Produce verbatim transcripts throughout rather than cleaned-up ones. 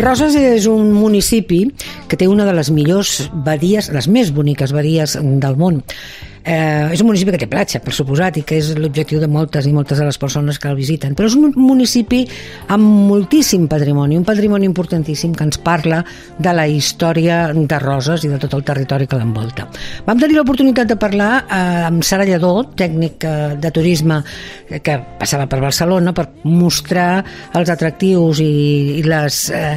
Roses és un municipi que té una de les millors badies, les més boniques badies del món. Eh, és un municipi que té platja, per suposat, i que és l'objectiu de moltes i moltes de les persones que el visiten, però és un municipi amb moltíssim patrimoni, un patrimoni importantíssim que ens parla de la història de Roses i de tot el territori que l'envolta. Vam tenir l'oportunitat de parlar eh, amb Sara Lledó, tècnic eh, de turisme que passava per Barcelona, per mostrar els atractius i, i les eh,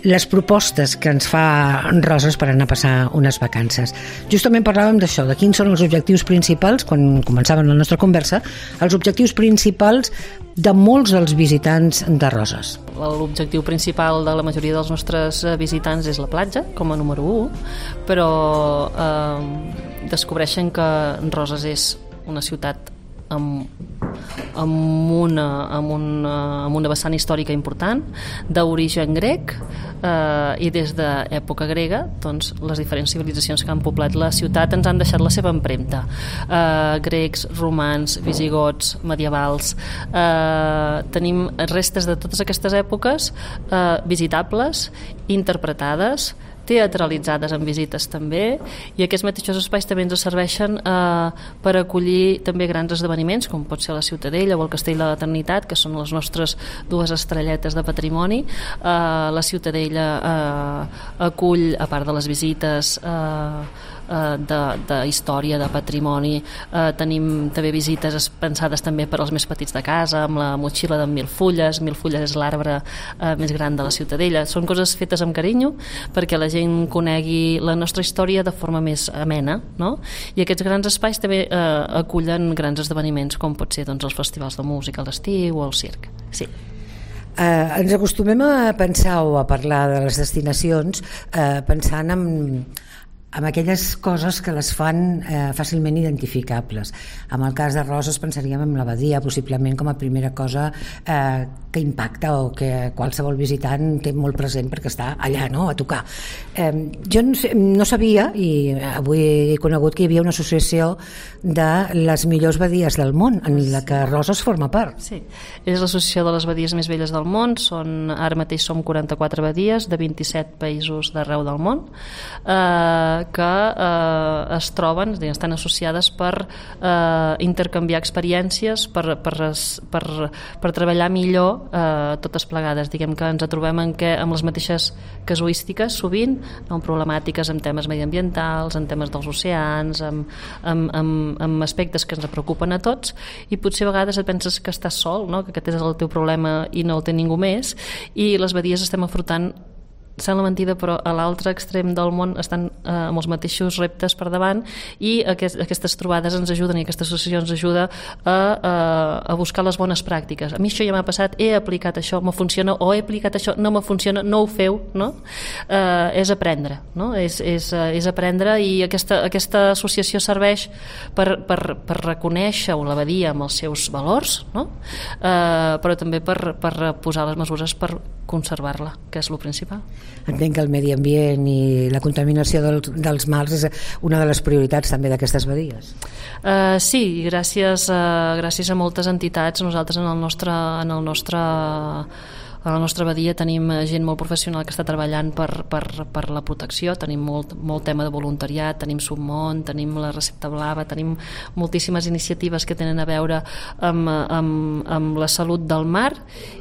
les propostes que ens fa Roses per anar a passar unes vacances. Justament parlàvem d'això, de quins són els objectius principals, quan començàvem la nostra conversa, els objectius principals de molts dels visitants de Roses. L'objectiu principal de la majoria dels nostres visitants és la platja, com a número u, però eh, descobreixen que Roses és una ciutat amb, amb, una, amb, una, amb una vessant històrica important, d'origen grec, eh, i des d'època grega doncs, les diferents civilitzacions que han poblat la ciutat ens han deixat la seva empremta. Eh, grecs, romans, visigots, medievals. Eh, tenim restes de totes aquestes èpoques eh, visitables, interpretades, teatralitzades en visites també, i aquests mateixos espais també ens serveixen eh, per acollir també grans esdeveniments, com pot ser la Ciutadella o el Castell de l'Eternitat, que són les nostres dues estrelletes de patrimoni. Eh, la Ciutadella eh, acull, a part de les visites eh, de, de història, de patrimoni, eh, tenim també visites pensades també per als més petits de casa, amb la motxilla de mil fulles. Mil fulles és l'arbre eh, més gran de la Ciutadella. Són coses fetes amb carinyo perquè la gent conegui la nostra història de forma més amena, no? I aquests grans espais també eh, acullen grans esdeveniments, com pot ser doncs, els festivals de música a l'estiu o el circ. Sí. Eh, ens acostumem a pensar o a parlar de les destinacions eh, pensant en amb aquelles coses que les fan eh, fàcilment identificables. En el cas de Roses pensaríem en la badia, possiblement com a primera cosa eh, que impacta o que qualsevol visitant té molt present perquè està allà, no?, a tocar. Eh, jo no, sé, no sabia, i avui he conegut que hi havia una associació de les millors badies del món, en la que Roses forma part. Sí, és l'associació de les badies més velles del món. Són, ara mateix som quaranta-quatre badies de vint-i-set països d'arreu del món, eh, que eh, es troben, estan associades per eh, intercanviar experiències, per, per, per, per treballar millor eh, totes plegades. Diguem que ens trobem en què, amb les mateixes casuístiques sovint, amb problemàtiques en temes mediambientals, en temes dels oceans, amb, amb, amb, amb aspectes que ens preocupen a tots, i potser a vegades et penses que estàs sol, no?, que aquest és el teu problema i no el té ningú més, i les badies estem afrontant, sembla mentida, però a l'altre extrem del món estan eh, amb els mateixos reptes per davant, i aquest, aquestes trobades ens ajuden, i aquesta associació ens ajuda a, a, a buscar les bones pràctiques. A mi això ja m'ha passat, he aplicat això, me funciona, o he aplicat això, no me funciona, no ho feu, no? Eh, és aprendre, no? És, és, és aprendre, i aquesta, aquesta associació serveix per, per, per reconèixer la badia amb els seus valors, no? Eh, però també per, per posar les mesures per conservar-la, que és el principal. Entenc que el medi ambient i la contaminació dels, dels mars és una de les prioritats també d'aquestes badies. Uh, sí, gràcies a, gràcies a moltes entitats. Nosaltres en el nostre, en el nostre a la nostra badia tenim gent molt professional que està treballant per, per, per la protecció. Tenim molt, molt tema de voluntariat, tenim Submont, tenim la Recepta Blava, tenim moltíssimes iniciatives que tenen a veure amb, amb, amb la salut del mar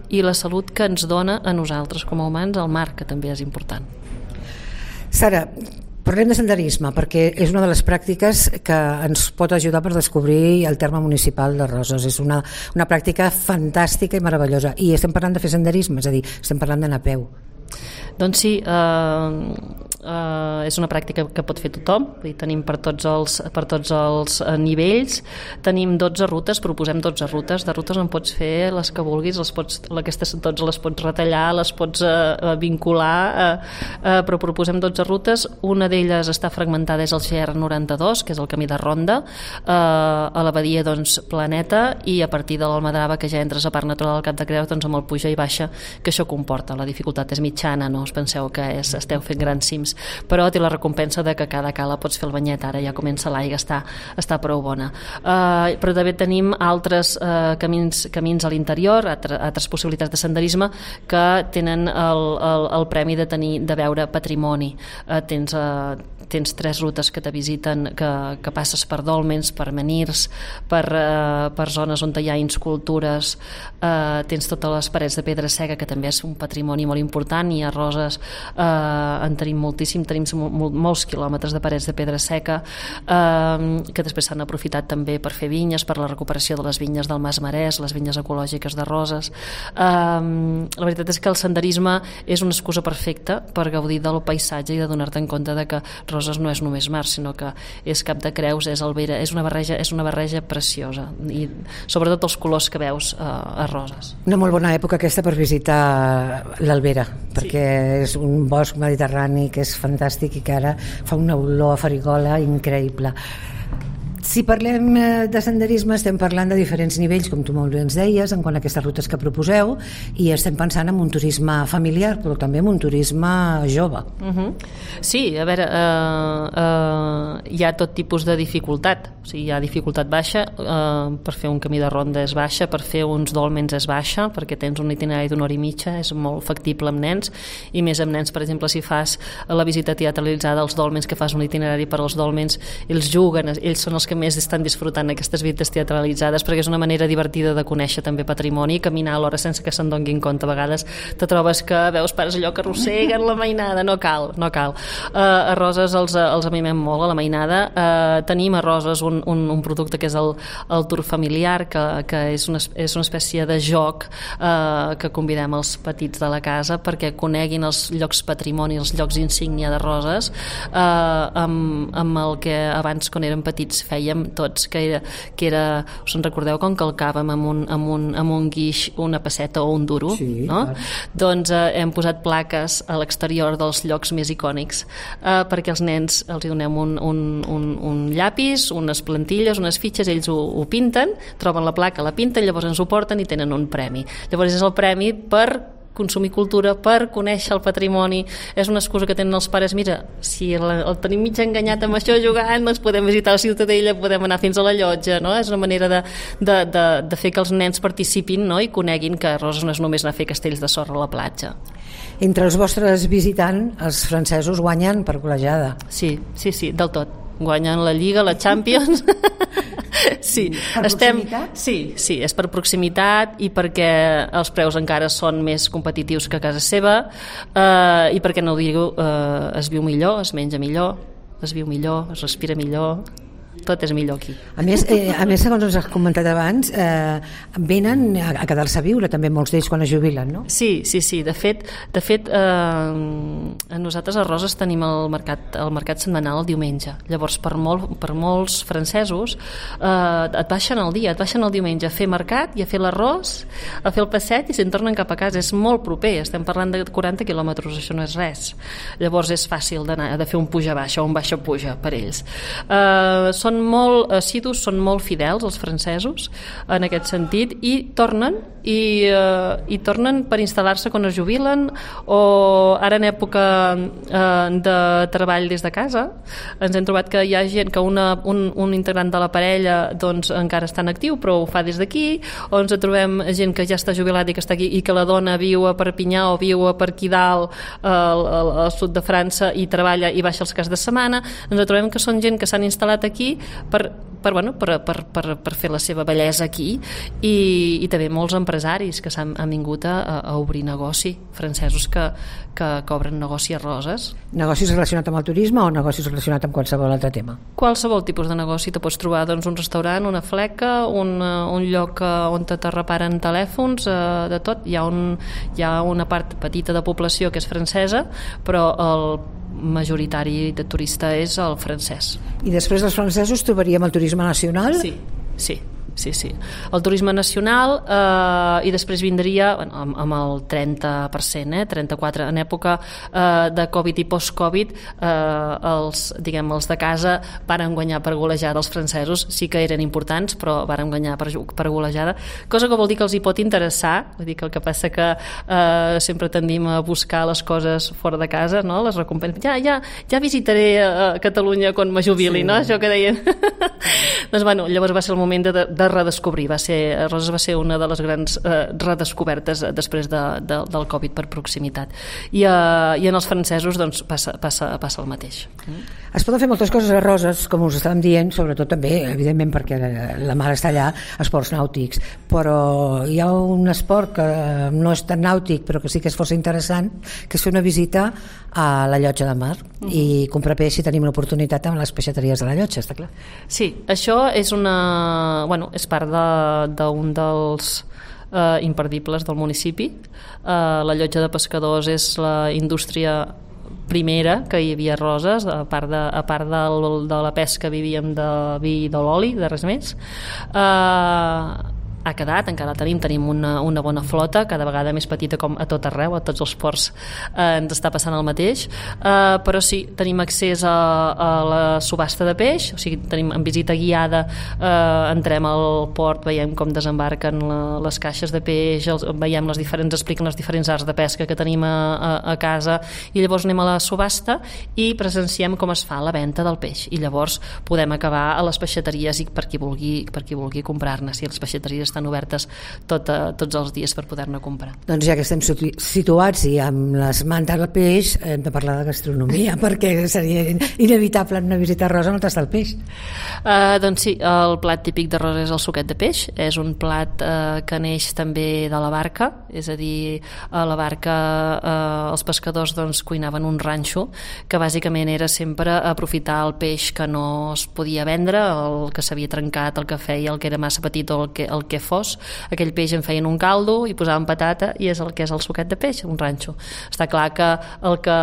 i la salut que ens dona a nosaltres com a humans el mar, que també és important. Sara, parlem de senderisme, perquè és una de les pràctiques que ens pot ajudar per descobrir el terme municipal de Roses. És una, una pràctica fantàstica i meravellosa. I estem parlant de fer senderisme, és a dir, estem parlant d'anar a peu. Doncs sí, eh, eh, és una pràctica que pot fer tothom, i tenim per tots els, per tots els nivells. Tenim dotze rutes, proposem dotze rutes. De rutes en pots fer les que vulguis, les pots, aquestes dotze les pots retallar, les pots eh, vincular, eh, eh, però proposem dotze rutes. Una d'elles està fragmentada, és el G R noranta-dos, que és el camí de ronda, eh, a la badia doncs, Planeta, i a partir de l'Almadrava, que ja entres a Parc Natural del Cap de Creus, doncs amb el puja i baixa que això comporta. La dificultat és mitjana, no us penseu que és, esteu fent grans cims. temps, però té la recompensa de que cada cala pots fer el banyet, ara ja comença l'aigua, està, està prou bona. Uh, però també tenim altres uh, camins, camins a l'interior, altres, altres possibilitats de senderisme que tenen el, el, el premi de tenir de veure patrimoni. Uh, tens, uh, tens tres rutes que te visiten, que, que passes per dòlmens, per menirs, per, uh, per zones on hi ha escultures, uh, tens totes les parets de pedra seca, que també és un patrimoni molt important, i a Roses uh, en tenim moltíssim, tenim mol, molts quilòmetres de parets de pedra seca, uh, que després s'han aprofitat també per fer vinyes, per la recuperació de les vinyes del Mas Marès, les vinyes ecològiques de Roses. Uh, la veritat és que el senderisme és una excusa perfecta per gaudir del paisatge i de donar-te en compte de que Roses no és només mar, sinó que és Cap de Creus, és Alvera, és una barreja, és una barreja preciosa, i sobretot els colors que veus uh, a Roses. Una molt bona època aquesta per visitar l'Albera, perquè sí, és un bosc mediterrani que és fantàstic i que ara fa una olor a farigola increïble. Si parlem de senderisme estem parlant de diferents nivells, com tu molt bé ens deies, en quant a aquestes rutes que proposeu, i estem pensant en un turisme familiar, però també en un turisme jove. Uh-huh. Sí, a veure, uh, uh, hi ha tot tipus de dificultat. O sigui, hi ha dificultat baixa, uh, per fer un camí de ronda és baixa, per fer uns dòlmens és baixa, perquè tens un itinerari d'una hora i mitja, és molt factible amb nens, i més amb nens, per exemple, si fas la visita teatralitzada als dòlmens, que fas un itinerari per als dòlmens, ells juguen, ells són els que més estan disfrutant aquestes visites teatralitzades, perquè és una manera divertida de conèixer també patrimoni i caminar alhora sense que se'n donguin compte. A vegades te trobes que veus pares allò que arrosseguen la mainada, no cal, no cal. Uh, a Roses els, els amimem molt a la mainada. Uh, tenim a Roses un, un, un producte que és el, el tour familiar, que, que és, una, és una espècie de joc uh, que convidem els petits de la casa perquè coneguin els llocs patrimoni, els llocs insígnia de Roses, uh, amb, amb el que abans, quan érem petits, fèiem tots, que era, que era us en recordeu com calcàvem amb un, amb un, amb un guix una pesseta o un duro? Sí, no? clar. Doncs eh, hem posat plaques a l'exterior dels llocs més icònics eh, perquè els nens els hi donem un, un, un, un llapis, unes plantilles, unes fitxes, ells ho, ho pinten, troben la placa, la pinten, llavors ens ho porten i tenen un premi. Llavors és el premi per consumir cultura, per conèixer el patrimoni. És una excusa que tenen els pares, mira, si el, el tenim mig enganyat amb això jugant, doncs podem visitar la Ciutadella, podem anar fins a la llotja, no? És una manera de, de, de, de fer que els nens participin, no? I coneguin que Roses no és només anar a fer castells de sorra a la platja. Entre els vostres visitants, els francesos guanyen per golejada. Sí, sí, sí, del tot. Guanyen la Lliga, la Champions. Sí, per estem, proximitat? sí, sí, és per proximitat i perquè els preus encara són més competitius que a casa seva, eh, i perquè no ho digo, eh, es viu millor, es menja millor, es viu millor, es respira millor, tot és millor aquí. A més, eh, a més segons us has comentat abans, eh, venen a, a quedar-se a viure també molts d'ells quan es jubilen, no? Sí, sí, sí. De fet, de fet eh, nosaltres a Roses tenim el mercat, el mercat setmanal el diumenge. Llavors, per, molt, per molts francesos, eh, et baixen el dia, et baixen el diumenge a fer mercat i a fer l'arròs, a fer el passeig i se'n tornen cap a casa. És molt proper, estem parlant de quaranta quilòmetres, això no és res. Llavors és fàcil d'anar, de fer un puja-baixa o un baixa-puja per ells. Eh, són molt assidus, són molt fidels els francesos en aquest sentit, i tornen i, uh, i tornen per instal·lar-se quan es jubilen, o ara en època uh, de treball des de casa ens hem trobat que hi ha gent que una, un, un integrant de la parella doncs encara està en actiu però ho fa des d'aquí, o ens trobem gent que ja està jubilat i que està aquí i que la dona viu a Perpinyà o viu a per aquí dalt al, al, al sud de França i treballa i baixa els caps de setmana. Ens trobem que són gent que s'han instal·lat aquí per, per, bueno, per, per, per, per fer la seva bellesa aquí, i, i també molts empresaris que s'han han vingut a, a obrir negoci, francesos que, que, que obren negoci a Roses. Negocis relacionats amb el turisme o negocis relacionats amb qualsevol altre tema? Qualsevol tipus de negoci. Te pots trobar doncs, un restaurant, una fleca, un, un lloc on te, te reparen telèfons, eh, de tot. Hi ha, un, hi ha una part petita de població que és francesa, però el majoritari de turista és el francès. I després dels francesos trobaríem el turisme nacional? Sí, sí. sí, sí. El turisme nacional eh, i després vindria bueno, amb, amb el trenta per cent, eh, trenta-quatre en època eh, de Covid i post-Covid, eh, els, diguem, els de casa varen guanyar per golejada. Els francesos sí que eren importants, però varen guanyar per, per golejada, cosa que vol dir que els hi pot interessar. Vull dir que el que passa que eh, sempre tendim a buscar les coses fora de casa, no? Les recompenses. Ja, ja, ja visitaré a Catalunya quan me jubili, sí. No? Això que deien. Doncs, bueno, llavors va ser el moment de, de redescobrir. Va ser, Roses va ser una de les grans eh, redescobertes després de, de, del Covid per proximitat. I, eh, i en els francesos doncs, passa, passa, passa el mateix. Mm. Es poden fer moltes coses a Roses, com us estàvem dient, sobretot també, evidentment, perquè la mar està allà, esports nàutics, però hi ha un esport que no és tan nàutic, però que sí que és força interessant, que és fer una visita a la llotja de mar mm. i comprar peix si tenim l'oportunitat amb les peixateries de la llotja, està clar. Sí, això és una... Bueno, és part d'un de, dels eh, imperdibles del municipi. Eh, la llotja de pescadors és la indústria primera que hi havia a Roses, a part de, a part del, de la pesca vivíem de vi i de l'oli, de res més. Eh, ha quedat, encara tenim, tenim una, una bona flota, cada vegada més petita com a tot arreu, a tots els ports eh, ens està passant el mateix, eh, però sí, tenim accés a, a la subhasta de peix, o sigui, tenim en visita guiada, eh, entrem al port, veiem com desembarquen la, les caixes de peix, els, veiem les diferents, expliquen les diferents arts de pesca que tenim a, a, a casa, i llavors anem a la subhasta i presenciem com es fa la venda del peix, i llavors podem acabar a les peixateries i per qui vulgui, per qui vulgui comprar-ne, si les peixateries estan obertes tot, uh, tots els dies per poder-ne comprar. Doncs ja que estem situats i amb les mans del peix, hem de parlar de gastronomia, perquè seria inevitable en una visita a Rosa no tastar el peix. Uh, doncs sí, el plat típic de Rosa és el suquet de peix, és un plat uh, que neix també de la barca, és a dir, a la barca uh, els pescadors doncs, cuinaven un ranxo, que bàsicament era sempre aprofitar el peix que no es podia vendre, el que s'havia trencat, el que feia, el que era massa petit o el que, el que fos, aquell peix en feien un caldo i posaven patata i és el que és el suquet de peix, un ranxo. Està clar que el que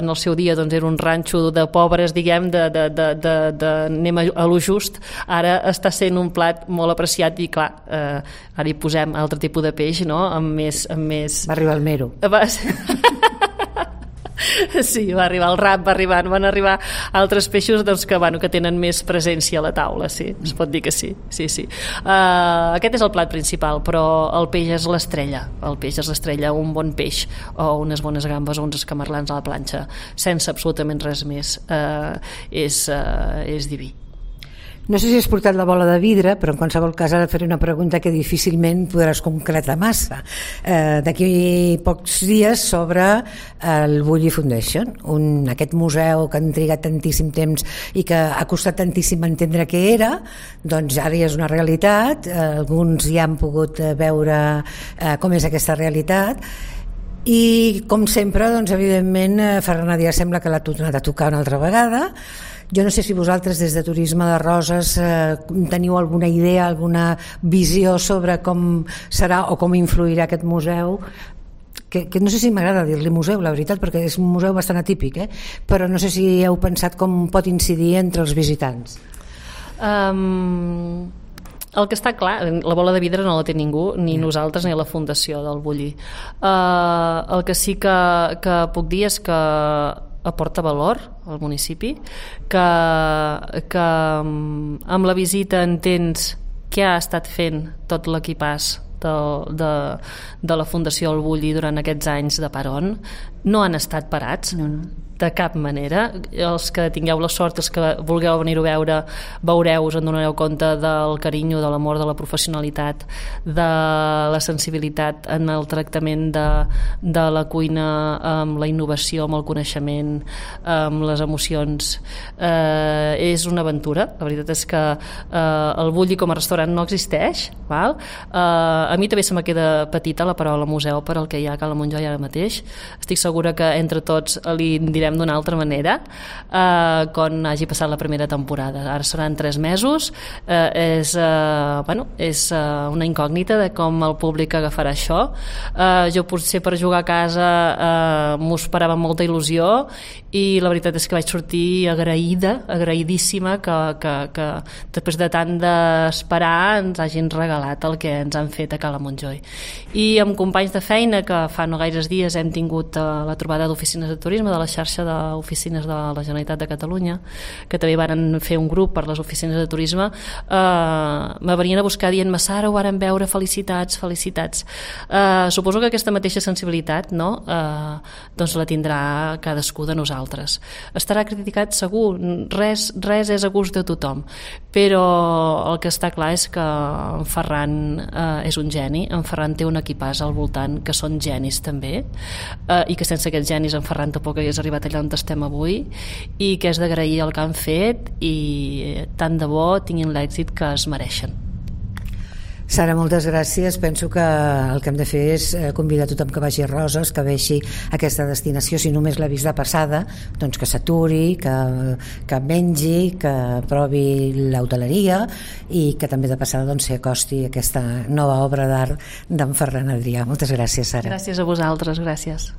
en el seu dia doncs, era un ranxo de pobres, diguem, de, de, de, de, de anem a lo just, ara està sent un plat molt apreciat i clar, eh, ara hi posem altre tipus de peix, no? Amb més... Amb més... Va arribar el mero. Va Sí, va arribar el rap, va arribar, van arribar altres peixos doncs, que, bueno, que tenen més presència a la taula, sí, es pot dir que sí, sí, sí. Uh, aquest és el plat principal, però el peix és l'estrella, el peix és l'estrella, un bon peix o unes bones gambes o uns escamarlans a la planxa, sense absolutament res més, uh, és, uh, és diví. No sé si has portat la bola de vidre, però en qualsevol cas ara faré una pregunta que difícilment podràs concretar massa. Eh, D'aquí pocs dies s'obre el Bulli Foundation, un, aquest museu que han trigat tantíssim temps i que ha costat tantíssim entendre què era, doncs ara ja és una realitat, eh, alguns ja han pogut veure eh, com és aquesta realitat. I com sempre, doncs, evidentment, Ferran Adrià sembla que l'ha tornat a tocar una altra vegada. Jo no sé si vosaltres des de Turisme de Roses eh, teniu alguna idea, alguna visió sobre com serà o com influirà aquest museu, que, que no sé si m'agrada dir-li museu, la veritat, perquè és un museu bastant atípic, eh? Però no sé si heu pensat com pot incidir entre els visitants. Um... El que està clar, la bola de vidre no la té ningú, ni nosaltres ni la fundació del Bulli. Uh, el que sí que, que puc dir és que aporta valor al municipi, que, que amb la visita entens què ha estat fent tot l'equipàs de, de, de la Fundació El Bulli durant aquests anys de Paron. No han estat parats, no, no. De cap manera. Els que tingueu la sort, els que vulgueu venir-ho a veure, veureu, us en donareu compte del carinyo, de l'amor, de la professionalitat, de la sensibilitat en el tractament de, de la cuina, amb la innovació, amb el coneixement, amb les emocions. Eh, és una aventura. La veritat és que eh, el Bulli com a restaurant no existeix, val? Eh, a mi també se me queda petita la paraula museu per al que hi ha a Cala Montjoy ara mateix. Estic segura que entre tots li direm celebrarem d'una altra manera eh, quan hagi passat la primera temporada. Ara seran tres mesos, eh, és, eh, bueno, és eh, una incògnita de com el públic agafarà això. Eh, jo potser per jugar a casa eh, m'ho esperava amb molta il·lusió i la veritat és que vaig sortir agraïda, agraïdíssima que, que, que després de tant d'esperar ens hagin regalat el que ens han fet a Cala Montjoi. I amb companys de feina que fa no gaires dies hem tingut eh, la trobada d'oficines de turisme, de la xarxa d'oficines de la Generalitat de Catalunya, que també varen fer un grup per les oficines de turisme, eh, me venien a buscar dient-me: Sara, ho varen veure, felicitats, felicitats. Eh, suposo que aquesta mateixa sensibilitat, no?, eh, doncs la tindrà cadascú de nosaltres. Estarà criticat segur, res, res és a gust de tothom, però el que està clar és que en Ferran eh, és un geni, en Ferran té un equipàs al voltant que són genis també, eh, i que sense aquests genis en Ferran tampoc hagués arribat allà on estem avui, i que és d'agrair el que han fet i tant de bo tinguin l'èxit que es mereixen. Sara, moltes gràcies. Penso que el que hem de fer és convidar tothom que vagi a Roses, que vegi aquesta destinació, si només l'ha vist de passada, doncs que s'aturi, que, que mengi, que provi l'hoteleria i que també de passada doncs, s'hi acosti aquesta nova obra d'art d'en Ferran Adrià. Moltes gràcies, Sara. Gràcies a vosaltres, gràcies.